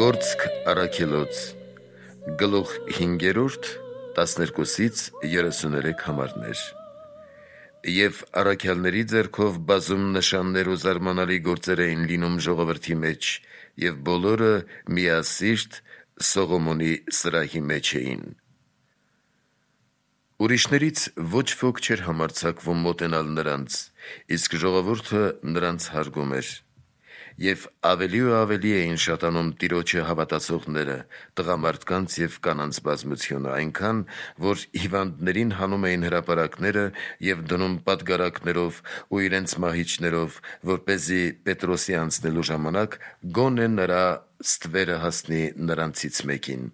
Գործք առաքելոց գլուխ 5-րդ 12-ից 33 համարներ։ Եվ առաքյալների ձեռքով բազում նշաններ ու զարմանալի գործեր էին լինում ժողովրդի մեջ, եւ բոլորը միասիրտ Սողոմոնի սրահի մեջ էին։ Ուրիշներից ոչ ոք չէր համարձակվում մոտենալ նրանց, իսկ ժողովուրդը նրանց հարգում էր։ Եվ ավելի ու ավելի էին շատանում Տիրոջը հավատացողները, տղամարդկանց և կանանց բազմությունը, այնքան, որ հիվանդներին հանում էին հրապարակները և դնում պատգարակներով ու իրենց մահիճներով, որպեսզի Պետրոսի անցնելու ժամանակ գոնե նրա ստվերը հասնի նրանցից մեկին։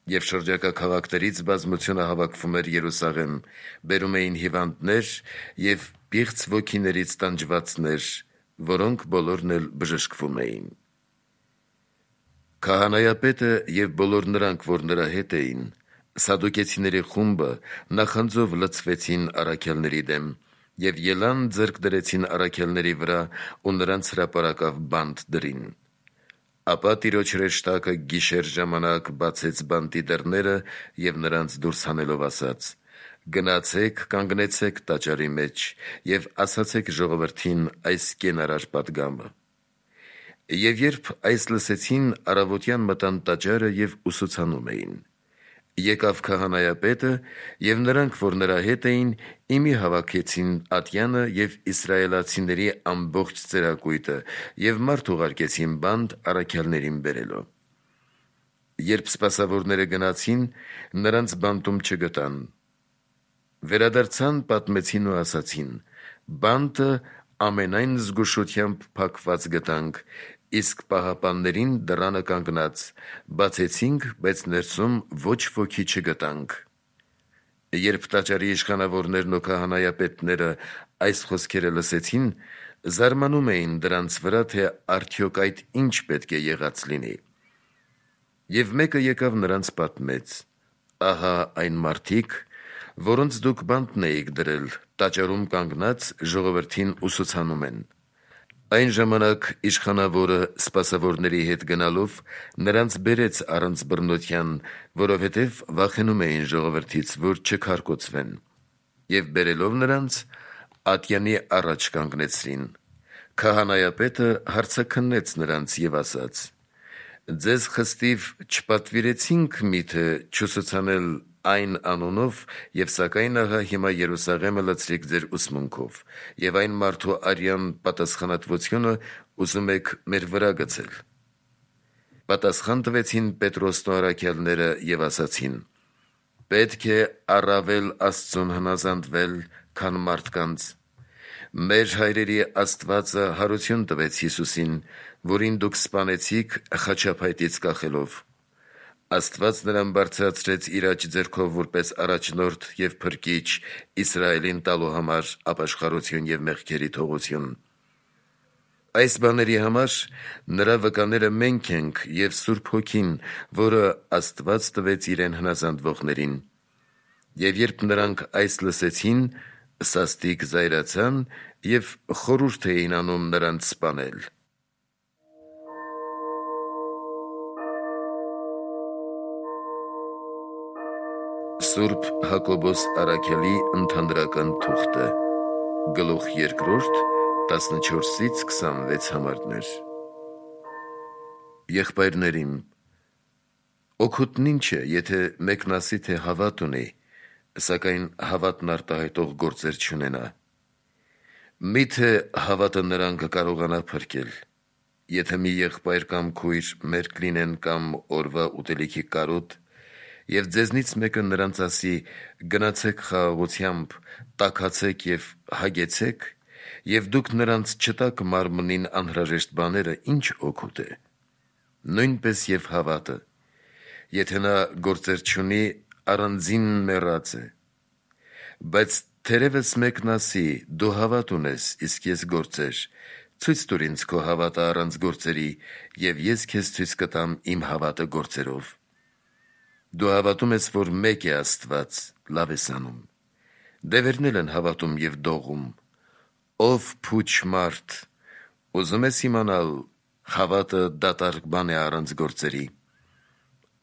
Եվ շրջակա քաղաքներից բազմությունը հավաքվում էր Երուսաղեմ, բերում էին հիվանդներ և պիղծ ոգիներից տանջվածներ, որոնք բոլորն էլ բժշկվում էին։ Քահանայապետը և բոլոր նրանք, որ նրա հետ էին, սադուկեցիների խումբը, նախանձով լցվեցին առաքյալների դեմ և ելան ձեռք դրեցին առաքյալների վրա ու նրանց հրապարակավ բանտ դրին։ Ապա Տիրոջ հրեշտակը գիշեր ժամանակ բացեց բանտի դռները և նրանց դուրս հանելով ասաց. «Գնացեք, կանգնեցեք տաճարի մեջ և ասացեք ժողովրդին այս կենարար պատգամը»։ Եվ երբ այս լսեցին, առավոտյան մտան տաճարը և ուսուցանում էին։ Եկավ քահանայապետը և նրանք, որ նրա հետ էին, իմի հավաքեցին ատյանը և իսրայելացիների ամբողջ ծերակույտը և մարդ ուղարկեցին բանտ առաքյալներին բերելու։ Երբ սպասավորները գնացին, նրանց բանտում չգտան։ Վերադարձան, պատմեցին ու ասացին. «Բանտը ամենայն զգուշությամբ փակված գտանք, իսկ պահապաններին դռանը կանգնած, բացեցինք, բայց ներսում ոչ ոքի չգտանք»։ Երբ տաճարի իշխանավորներն ու քահանայապետները այս խոսքերը լսեցին, զարմանում էին դրանց վրա, թե արդյոք այդ ինչ պետք է եղած լինի։ Եվ մեկը եկավ նրանց պատմեց. «Ահա այն մարդիկ, որոնց դուք բանտն էիք դրել, տաճարում կանգնած ժողովրդին ուսուցանում են»։ Այն ժամանակ իշխանավորը սպասավորների հետ գնալով նրանց բերեց առանց բռնության, որովհետև վախենում էին ժողովրդից, որ չքարկոծվեն, և բերելով նրանց, ատյանի առաջ կանգնեցրին։ Քահանայապետը հարցաքննեց նրանց և ասաց. «Ձեզ խստիվ չպատվիրեցինք միթե չուսուցանել այն անունով, և սակայն ահա հիմա Երուսաղեմը լցրիք ձեր ուսմունքով, և այն մարդու արյան պատասխանատվությունը ուզում եք մեր վրա գցել»։ Պատասխան տվեցին Պետրոսն ու առաքյալները և ասացին. «Պետք է առավել Աստծուն հնազանդվել, քան մարդկանց։ Մեր հայրերի Աստվածը հարություն տվեց Հիսուսին, որին դուք սպանեցիք խաչափայտից կախելով։ Աստված նրան բարձրացրեց իր աջ ձեռքով որպես առաջնորդ և փրկիչ Իսրայելին տալու համար ապաշխարություն և մեղքերի թողություն։ Այս բաների համար նրա վկաները մենք ենք և Սուրբ Հոգին, որը Աստված տվեց իրեն հնազանդվողներին»։ Եվ երբ նրանք այս լսեցին, սաստիկ զայրացան և խորհուրդ էին անում նրանց սպանել։ Սուրբ Հակոբոս առաքյալի ընդհանրական թուղթը գլուխ 2 14-ից 26 համարներ։ Եղբայրնե՛րիմ, օգուտն ինչ է, եթե մեկն ասի, թե հավատ ունի, սակայն հավատն արտահայտող գործեր չունենա։ Մի՞թե հավատը նրան կկարողանա փրկել։ Եթե մի եղբայր կամ քույր մերկ լինեն կամ օրվա ուտելիքի կարոտ, և ձեզնից մեկը նրանց ասի. «Գնացեք խաղաղությամբ, տաքացեք և հագեցեք», և դուք նրանց չտաք մարմնին անհրաժեշտ բաները, ինչ օգուտ է։ Նույնպես և հավատը, եթե նա գործեր չունի, առանձին մեռած է։ Բայց թերևս մեկն ասի. «Դու հավատ ունես, իսկ ես գործեր, ցույց տուր ինձ քո հավատը առանց գործերի, և ես քեզ ցույց կտամ իմ հավատը գործերով»։ Դու հավատում ես, որ մեկ է Աստված, լավ ես անում։ Դևերն էլ են հավատում և դողում։ Ով փուչ մարդ, ուզում ես իմանալ Խավատը դատարկ բան է առանց գործերի։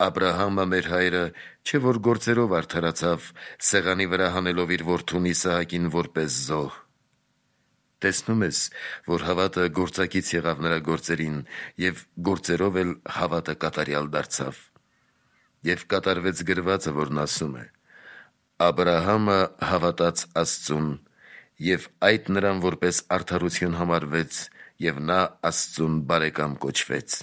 Աբրահամը մեր հայրը չէ որ գործերով արդարացավ, սեղանի վրա հանելով իր որդուն Իսահակին որպես զոհ։ Տեսնում ես, որ հավատը գործակից եղավ նրա գործերին, և գործերով էլ հավատը կատարյալ դարձավ։ Եվ կատարվեց գրվածը, որն ասում է. Աբրահամը հավատաց Աստծուն, և այդ նրան որպես արդարություն համարվեց, և նա Աստծուն բարեկամ կոչվեց։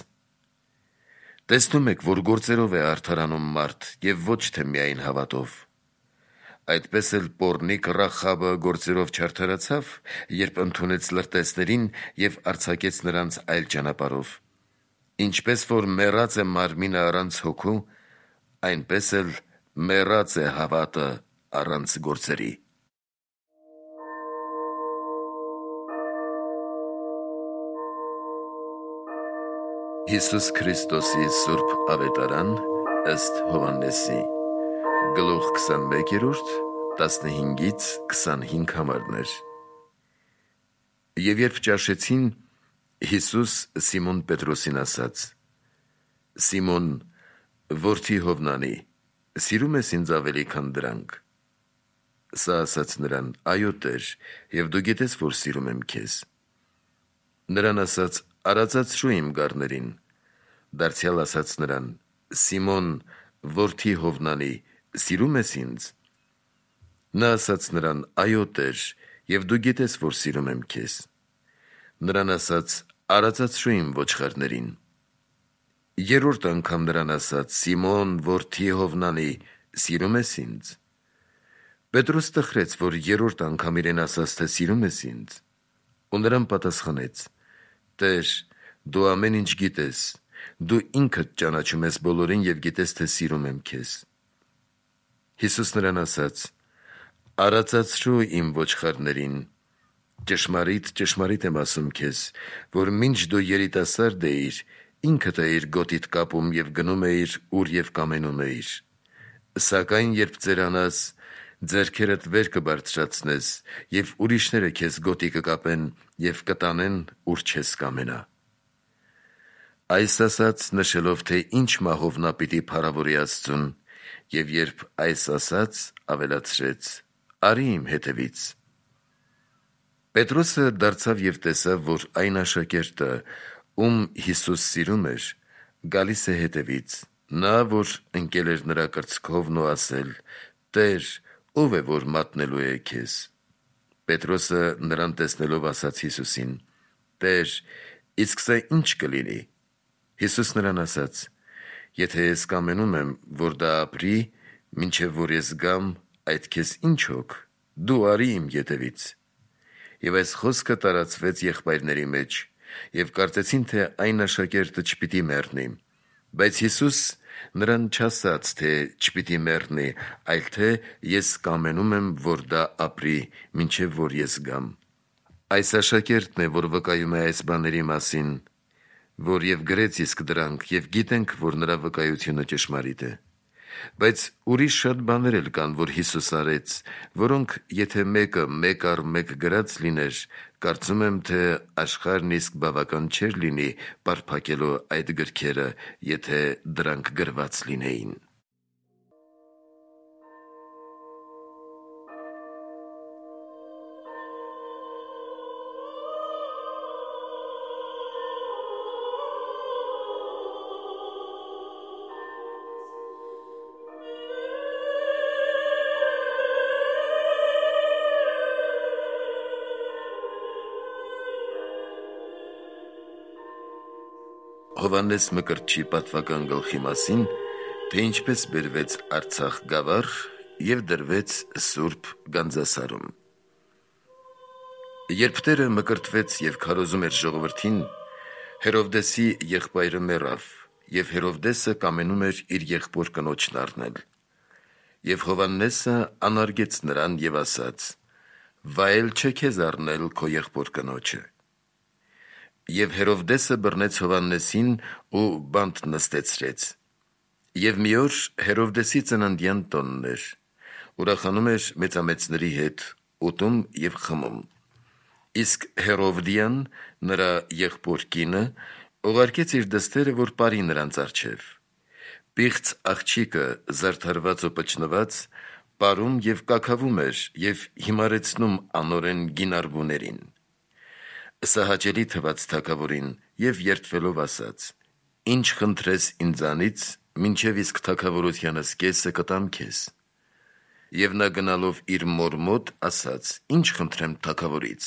Տեսնում եք, որ գործերով է արդարանում մարդ, և ոչ թե միայն հավատով։ Այդպես էլ պոռնիկ Ռախաբը գործերով չարդարացավ, երբ ընդունեց լրտեսներին և արձակեց նրանց այլ ճանապարհով։ Ինչպես որ մեռած է մարմինը առանց հոգու, այնպես էլ մեռած է հավատը առանց գործերի։ Հիսուս Քրիստոսի Սուրբ Ավետարան ըստ Հովհաննեսի, գլուխ 21, 15-25 համարներ։ Եվ երբ ճաշեցին, Հիսուս Սիմոն Պետրոսին ասաց. Սիմոն, որդի Հովնանի, սիրում ես ինձ ավելի քան դրանք։ Սա ասաց նրան. Այո Տեր, և դու գիտես, որ սիրում եմ քեզ։ Նրան ասաց. Արածացրու իմ գառներին։ Դարձյալ ասաց նրան. Սիմոն, որդի Հովնանի, սիրում ես ինձ։ Նա ասաց նրան. Այո Տեր, և դու գիտես, որ սիրում եմ քեզ։ Նրան ասաց. Արածացրու իմ ոչխարներին։ Երրորդ անգամ նրան ասաց. Սիմոն, որդի Հովնանի, սիրում ես ինձ։ Պետրոս տխրեց, որ երրորդ անգամ իրեն ասաց, թե սիրում ես ինձ։ Ու նրան պատասխանեց. Տեր, դու ամեն ինչ գիտես, դու ինքդ ճանաչում ես բոլորին և գիտես, թե սիրում եմ քեզ։ Հիսուս նրան ասաց. Արածացրու իմ ոչխարներին։ Ճշմարիտ, ճշմարիտ եմ ասում քեզ, որ մինչ դու երիտասարդ էիր, ինքդ էիր գոտիդ կապում և գնում էիր, ուր և կամենում էիր։ Սակայն երբ ծերանաս, ձեռքերդ վեր կբարձրացնես, և ուրիշները քեզ գոտի կկապեն և կտանեն, ուր չես կամենա։ Այս ասաց, նշելով, թե ինչ մահով նա պիտի փառավորի Աստծուն, և երբ այս ասաց, ավելացրեց. Արի իմ հետևից։ Պետրոսը դարձավ և տեսավ, որ այն աշակերտը, ում Հիսուս սիրում էր, գալիս է հետևից, նա, որ ընկել էր նրա կրծքովն ու ասել. Տեր, ո՞վ է, որ մատնելու է քեզ։ Պետրոսը նրան տեսնելով ասաց Հիսուսին. Տեր, իսկ սա ինչ կլինի։ Հիսուս նրան ասաց. Եթե ես կամենում եմ, որ դա ապրի, մինչև որ ես գամ, այդ քեզ ինչ հոգ, դու արի իմ ետևից։ Եվ այս խոսքը տարածվեց եղբայրների մեջ, և կարծեցին, թե այն աշակերտը չպիտի մեռնի, բայց Հիսուս նրան չասաց, թե չպիտի մեռնի, այլ թե ես կամենում եմ, որ դա ապրի, մինչև որ ես գամ։ Այս աշակերտն է, որ վկայում է այս բաների մասին, որ և գրեց իսկ դրանք, և գիտենք, որ նրա վկայությունը ճշմարիտ է։ Բայց ուրիշ շատ բաներ էլ կան, որ Հիսուս արեց, որոնք եթե մեկը մեկ առ մեկ գրած լիներ, կարծում եմ, թե աշխարհն իսկ բավական չէր լինի պարփակելու այդ գրքերը, եթե դրանք գրված լինեին։ Հովհաննես Մկրտչի պատվական գլխի մասին, թե ինչպես բերվեց Արցախ գավառ և դրվեց Սուրբ Գանձասարում։ Երբ Տերը մկրտվեց և քարոզում էր ժողովրդին, Հերովդեսի եղբայրը մեռավ, և Հերովդեսը կամենում էր իր եղբոր կնոջն առնել։ Եվ Հովհաննեսը անարգեց նրան և ասաց. վայել չէ քեզ առնել քո եղբոր կնոջը։ Եվ Հերովդեսը բռնեց Հովհաննեսին ու բանտ նստեցրեց։ Եվ մի օր Հերովդեսի ծննդյան տոնն էր, ուրախանում էր մեծամեծների հետ, ուտում և խմում։ Իսկ Հերովդիան, նրա եղբոր կինը, ուղարկեց իր դստերը, որ բարի նրանց առջև։ Պիղծ աղջիկը զարդարված ու պճնված պարում եւ կաքավում էր եւ հիմարեցնում անորեն գինարբուներին։ Սա հաճելի թվաց թագավորին եւ երդվելով ասաց. «Ինչ խնդրես ինձանից, մինչեւ իսկ թագավորությանս կեսը կտամ քեզ»։ Եվ նա գնալով իր մոր մոտ ասաց. «Ինչ խնդրեմ թագավորից»։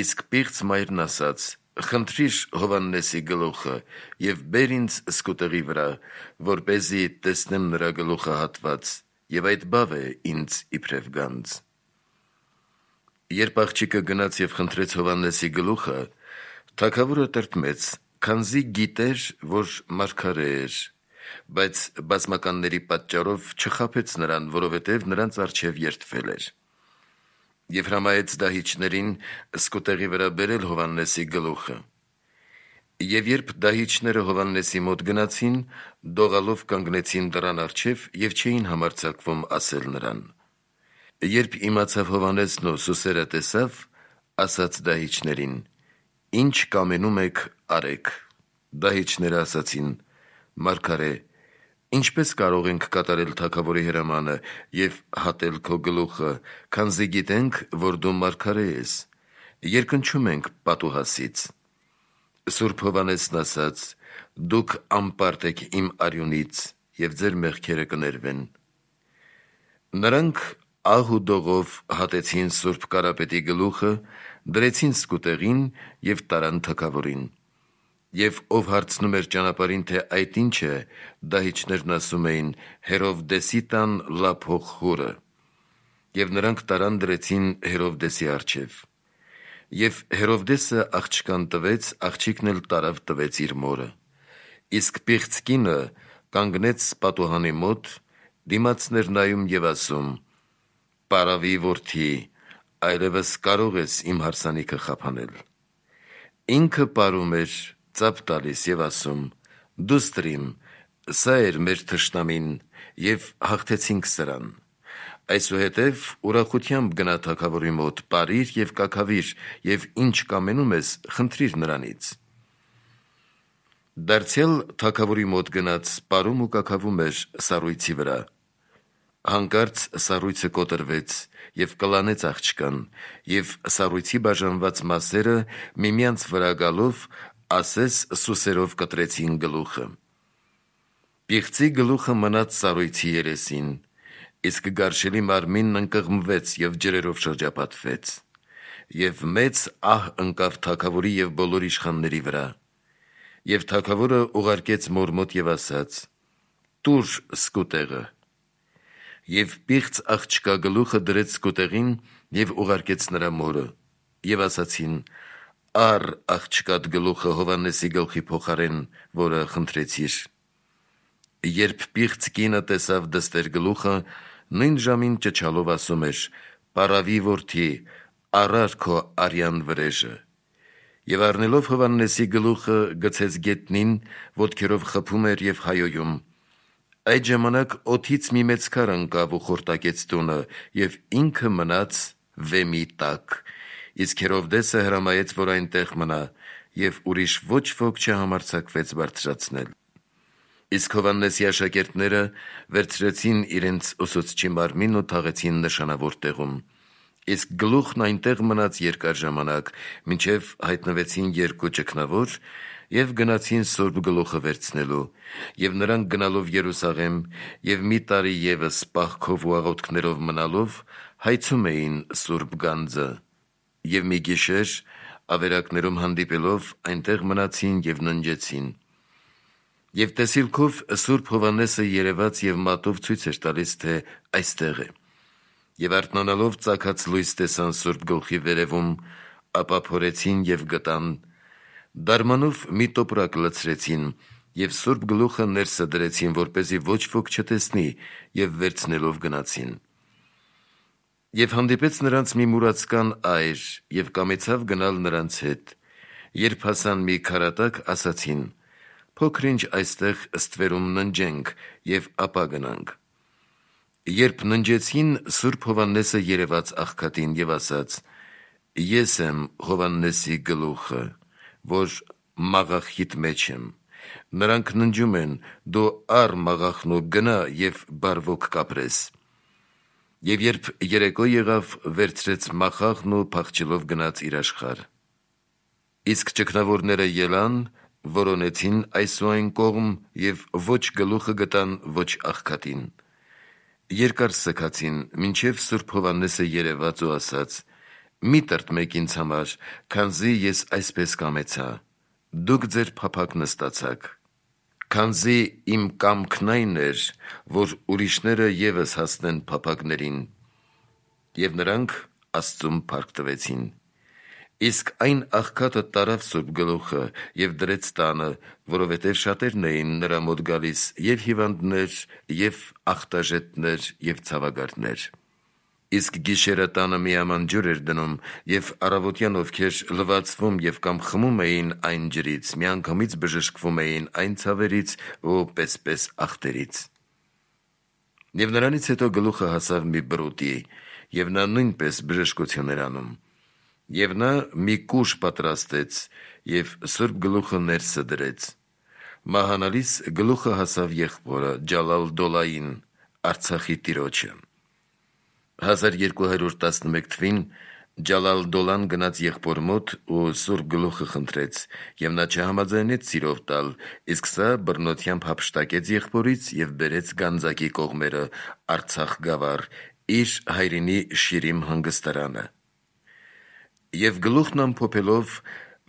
Իսկ պիղծ մայրն ասաց. «Խնդրիր Հովհաննեսի գլուխը եւ բեր ինձ սկուտեղի վրա, որպեսզի տեսնեմ նրա գլուխը հատված, եւ այդ բավ է ինձ իբրև գանձ»։ Երբ աղջիկը գնաց եւ խնդրեց Հովհաննեսի գլուխը, թագավորը տրտմեց, քանզի գիտեր, որ մարգարե էր, բայց բազմականների պատճառով չխաբեց նրան, որովհետեւ նրանց առջև երդվել էր։ Եվ հրամայեց դահիճներին սկուտեղի վրա բերել Հովհաննեսի գլուխը։ Եվ երբ դահիճները Հովհաննեսի մոտ գնացին, դողալով կանգնեցին դռան առջև եւ չէին համարձակվում ասել նրան։ Երբ իմացավ Հովհաննեսն ու Սուսերը տեսավ, ասաց դահիճներին. «Ինչ կամենում եք, արեք»։ Դահիճները ասացին. «Մարգարե, ինչպես կարող ենք կատարել թագավորի հրամանը եւ հատել քո գլուխը, քանզի գիտենք, որ դու մարգարե ես, երկնչում ենք պատուհասից»։ Սուրբ Հովհաննեսն ասաց. «Դուք անպարտ եք իմ արյունից եւ ձեր մեղքերը կներվեն»։ Նրանք ահ ու դողով հատեցին Սուրբ Կարապետի գլուխը, դրեցին սկուտեղին եւ տարան թագավորին։ Եվ ով հարցնում էր ճանապարհին, թե այդ ինչ է, դահիճներն ասում էին. «Հերովդեսի տան լափող հուրը»։ Եվ նրանք տարան դրեցին Հերովդեսի առջև։ Եվ Հերովդեսը աղջկան տվեց, աղջիկն էլ տարավ տվեց իր մորը։ Իսկ պիղծ կինը կանգնեց պատուհանի մոտ, դիմացներ նայում եւ ասում. «Պարավի որդի, այլևս կարող ես իմ հարսանիքը խափանել»։ Ինքը պարում էր, ծափ տալիս եւ ասում. «Դուստրիմ, սա էր մեր թշնամին, եւ հաղթեցինք սրան»։ Այսուհետև ուրախությամբ գնա թագավորի մոտ, պարիր եւ կաքավիր, եւ ինչ կամենում ես, խնդրիր նրանից։ Դարձյալ թագավորի մոտ գնաց, պարում ու կաքավում էր սառույցի վրա։ Հանկարծ սառույցը կոտրվեց եւ կլանեց աղջկան, եւ սառույցի բաժանված մասերը միմյանց վրա գալով ասես սուսերով կտրեցին գլուխը։ Պիղծի գլուխը մնաց սառույցի երեսին, իսկ գարշելի մարմինն ընկղմվեց եւ ջրերով շրջապատվեց։ Եվ մեծ ահ ընկավ թագավորի եւ բոլոր իշխանների վրա։ Եվ թագավորը ուղարկեց մոր մոտ եւ ասաց. «Տուր սկուտեղը»։ Եվ պիղծ աղջկա գլուխը դրեց սկուտեղին եւ ուղարկեց նրա մորը։ Եվ ասացին. «Առ աղջկատ գլուխը Հովհաննեսի գլխի փոխարեն, որը խնդրեցիր»։ Երբ պիղծ կինը տեսավ դստեր գլուխը, նույն ժամին ճչալով ասում էր. «Պարավի որդի, առար քո արյան վրեժը»։ Եվ առնելով Հովհաննեսի գլուխը գցեց գետնին, ոտքերով խփում էր եւ հայոյում։ Այդ ժամանակ օդից մի մեծ քար ընկավ ու խորտակեց տունը, եւ ինքը մնաց վեմի տակ, իսկ Հերովդեսը հրամայեց, որ այնտեղ մնա, եւ ուրիշ ոչ ոք չհամարձակվեց բարձրացնել։ Իսկ Հովհաննեսի աշակերտները վերցրեցին իրենց ուսուցչի մարմինն ու թաղեցին նշանավոր տեղում։ Իսկ գլուխն այնտեղ մնաց երկար ժամանակ, մինչև հայտնվեցին երկու ճգնավոր եւ գնացին Սուրբ գլուխը վերցնելու, եւ նրանք գնալով Երուսաղեմ եւ մի տարի եւս պահքով ու աղոթքներով մնալով հայցում էին Սուրբ գանձը, եւ մի գիշեր ավերակներում հանդիպելով այնտեղ մնացին եւ ննջեցին։ Եվ տեսիլքով Սուրբ Հովհաննեսը երևաց եւ մատով ցույց էր տալիս, թե այստեղ է։ Եվ արթնանալով ծագած լույս տեսան Սուրբ գլխի վերևում, ապա փորեցին եւ գտան, դարմանով մի տոպրակ լցրեցին եւ Սուրբ գլուխը ներսը դրեցին, որպեսզի ոչ ոք չտեսնի, եւ վերցնելով գնացին։ Եվ հանդիպեց նրանց մի մուրացկան այր եւ կամեցավ գնալ նրանց հետ։ Երբ հասան մի քարատակ, ասացին. «Փոքր-ինչ այստեղ ստվերում ննջենք եւ ապա գնանք»։ Երբ ննջեցին, Սուրբ Հովհաննեսը երևաց աղքատին եւ ասաց. «Ես եմ Հովհաննեսի գլուխը, որ մաղախիդ մեջ եմ։ Նրանք ննջում են, դու առ մաղախն ու գնա և բարվոք կապրես։ Եվ երբ երեկո եղավ, վերցրեց մախաղն ու փախչելով գնաց իր աշխարհ։ Իսկ ճգնավորները ելան, որոնեցին այս ու այն կողմ և ոչ գլուխը գտան, ոչ աղքատին։ Երկար սգացին, մինչև Սուրբ Հովհաննեսը երևաց ու ասաց. «Մի տրտմեք ինձ համար, քանզի ես այսպես կամեցա, դուք ձեր փափագ նստացաք, քանզի իմ կամքն այն էր, որ ուրիշները ևս հասնեն փափագներին»։ Եվ նրանք Աստծուն փառք տվեցին։ Իսկ այն աղքատը տարավ Սուրբ գլուխը և դրեց տանը, որովհետև շատերն էին նրա մոտ գալիս, և հիվանդներ, և ախտաժետներ, և ցավագարտներ։ Իսկ գիշերը տանը միաման ջուր էր դնում, և առավոտյան ովքեր լվացվում և կամ խմում էին այն ջրից, միանգամից բժշկվում էին այն ցավերից ու պես ախտերից։ Եվ նրանից հետո գլուխը հասավ մի բրուտի, և նա նույնպես բժշկություն էր անում։ Եվ նա մի կուժ պատրաստեց և Սուրբ գլուխը ներսը դրեց։ Մահանալիս գլուխը հասավ եղբորը՝ Ջալալ-Դոլային, Արցախի տիրոջը։ 1211 թվին Ջալալ-Դոլան գնաց եղբոր մոտ ու Սուրբ գլուխը խնդրեց, և նա չհամաձայնեց սիրով տալ, իսկ սա բռնությամբ հափշտակեց եղբորից և բերեց Գանձակի կողմերը, Արցախ գավառ, իր հայրենի Շիրիմ հանգստարանը։ Եվ գլուխն ամփոփելով,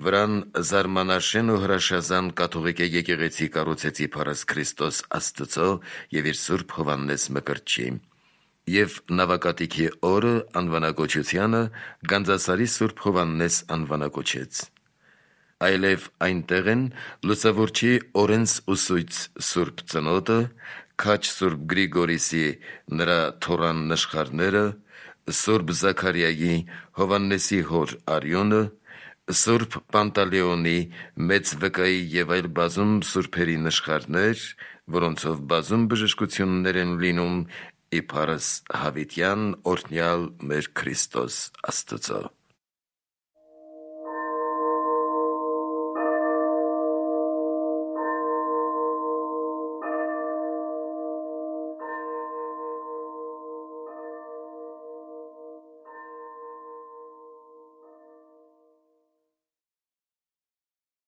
վրան զարմանաշեն ու հրաշազան կաթողիկե եկեղեցի կառուցեց իբարս Քրիստոս Աստծո և իր Սուրբ Հովհաննես Մկրտչի։ Եվ նավակատիքի օրը անվանակոչությանը Գանձասարի Սուրբ Հովհաննես անվանակոչեց։ Այլև այնտեղ են Լուսավորչի Օրենս ուսույց Սուրբ Ծնոտը, Քաչ Սուրբ Գրիգորիսի նրա թոռան նշխարները, Սուրբ Զաքարիայի, Հովհաննեսի հոր Արիոնը, Սուրբ Պանտալեոնի, Մեծ Վկայի և այլ բազում սուրբերի նշխարներ, որոնցով բազում բժշկություններ են լինում իբարս հավիտյան օրհնյալ մեր Քրիստոս Աստծո։